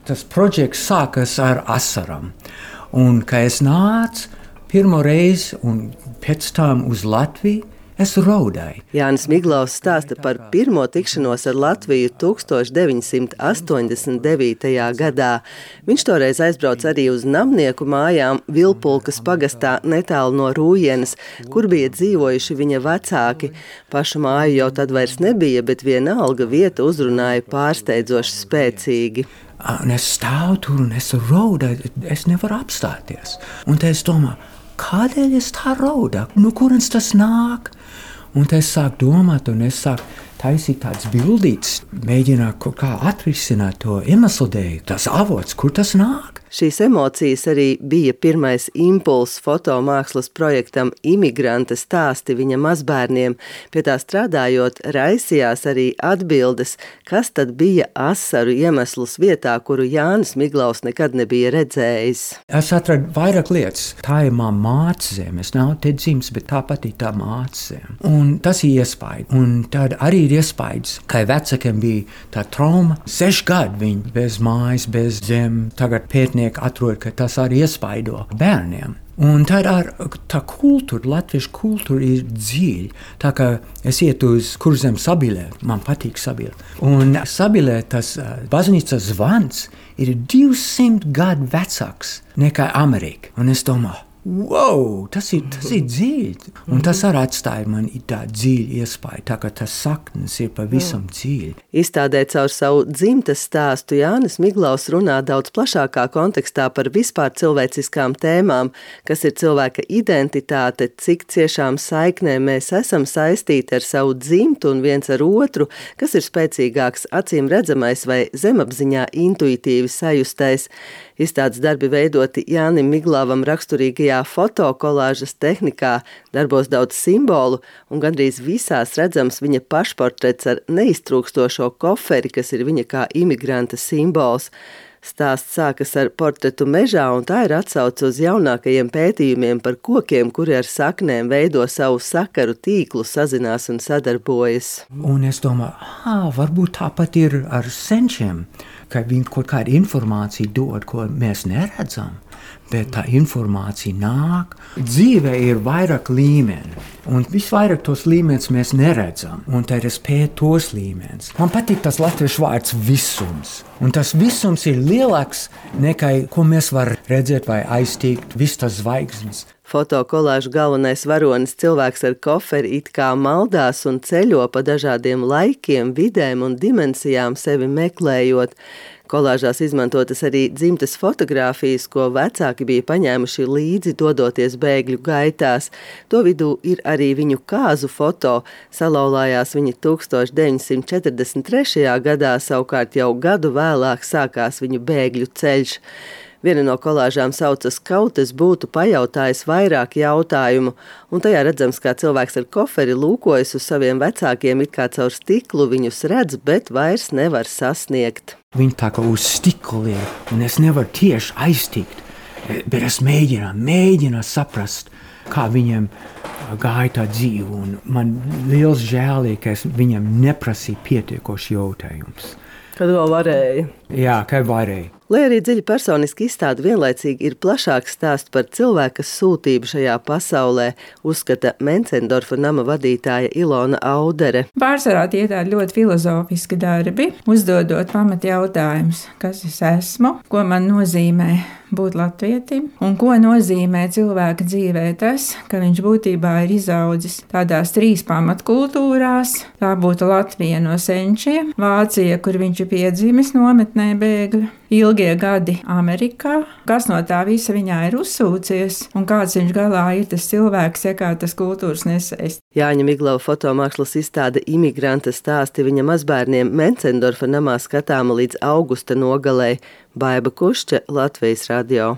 Tas projekts sākas ar asaram. Un, kad es nācu pirmo reizi un pēc tam uz Latviju, es raudāju. Jānis Miglaus stāsta par pirmo tikšanos ar Latviju 1989. gadā. Viņš toreiz aizbrauca arī uz namnieku mājām Vilpulkas pagastā netālu no Rūjenes, kur bija dzīvojuši viņa vecāki. Pašu māju jau tad vairs nebija, bet vienalga vieta uzrunāja pārsteidzoši spēcīgi. Un es stāvu tur un es raudāju, es nevaru apstāties. Un te es domāju, kādēļ es tā raudāju? No kurienes tas nāk? Un te es sāku domāt, un es sāku taisīt tādas bildītes, mēģināt kaut kā atrisināt to iemeslu dēļ, tas avots, kur tas nāk. Šīs emocijas arī bija pirmais impulss fotomākslas projektam Imigranta stāsti viņa mazbērniem. Pie tā strādājot, raisījās arī atbildes, kas tad bija asaru iemesls vietā, kuru Jānis Miglaus nekad nebija redzējis. Es atradu vairāk lietas. Tā ir mana mācezeme. Es nav te dzimis, bet tāpat ir tā mācezeme. Un tas ir iespēja. Un tad arī ir iespējas, ka vecākiem bija tā trauma. 6 gadi viņi bez mājas, bez zem. Tagad pētnieki atrod, ka tas arī iespaido bērniem. Un tā kultūra, latviešu kultūra ir dziļa. Tā kā es ietu uz Kurzem Sabilē, man patīk Sabilē. Un Sabilē tas baznīcas zvans ir 200 gadu vecāks nekā Amerika. Un es domāju, wow, tas ir dziļi. Un tas arī atstāja man tādu dziļu iespēju, tā kā tas saknes ir pavisam dziļi. Izstādē caur savu dzimtes stāstu Jānis Miglaus runā daudz plašākā kontekstā par vispār cilvēciskām tēmām, kas ir cilvēka identitāte, cik ciešām saiknēm mēs esam saistīti ar savu dzimtu un viens ar otru, kas ir spēcīgāks, acīm redzamais vai zemapziņā intuitīvi sajustais. Izstādes darbi veidoti Jānim Miglauvam raksturīgajā fotokolāžas tehnikā, darbos daudz simbolu un gandrīz visās redzams viņa pašportrets ar neiztrūkstošo koferi, kas ir viņa kā imigranta simbols. Stāsts sākas ar portretu mežā, un tā ir atsauce uz jaunākajiem pētījumiem par kokiem, kuri ar saknēm veido savu sakaru tīklu, sazinās un sadarbojas. Un es domāju, varbūt tāpat ir ar senčiem, ka viņi kaut kādu informāciju dod, ko mēs neredzam, bet tā informācija nāk. Dzīvē ir vairāk līmeni, un visvairāk tos līmenis mēs neredzam, un tad es pētu tos līmenis. Man patīk tas latviešu vārds visums, un tas visums ir lielāks nekā, ko mēs varam redzēt vai aiztīgt, viss tas zvaigznes. Fotokolāžu galvenais varonis cilvēks ar koferi it kā maldās un ceļo pa dažādiem laikiem, vidēm un dimensijām sevi meklējot. Kolāžās izmantotas arī dzimtes fotogrāfijas, ko vecāki bija paņēmuši līdzi dodoties bēgļu gaitās. To vidū ir arī viņu kāzu foto. Salauzās viņi 1943. gadā, savukārt jau gadu vēlāk sākās viņu bēgļu ceļš. Viena no kolāžām saucas Kaut es būtu pajautājis vairāk jautājumu, un tajā redzams, kā cilvēks ar koferi lūkojas uz saviem vecākiem, it kā caur stiklu viņus redz, bet vairs nevar sasniegt. Viņi tā kā uz stikla ir, un es nevaru tieši aiztikt, bet es mēģinu saprast, kā viņam gāja tā dzīve, un man liels žēl ir, ka es viņam neprasīju pietiekoši jautājumus. Kad vēl varēja? Jā, kad varēja. Lai arī dziļi personiski izstāde vienlaicīgi ir plašāks stāsts par cilvēka sūtību šajā pasaulē, uzskata Mencendorfa nama vadītāja Ilona Audere. Pārsvarā tie tādi ļoti filozofiski darbi, uzdodot pamat jautājumus, kas es esmu, ko man nozīmē būt latvietim, un ko nozīmē cilvēka dzīvē tas, ka viņš būtībā ir izaudzis tādās 3 pamatkultūrās. Tā būtu Latvija no senčiem, Vācija, kur viņš ir piedzimis nometnē bēgļu, ilgie gadi Amerikā, kas no tā visa viņā ir uzsūcies, un kāds viņš galā ir tas cilvēks, ja kā tas kultūras nesējs. Jāņa Miglava fotomākslas izstāde Imigranta stāsti viņa mazbērniem Mencendorfa namā skatāma līdz augusta nogalei. Baiba Kušča, Latvijas radio.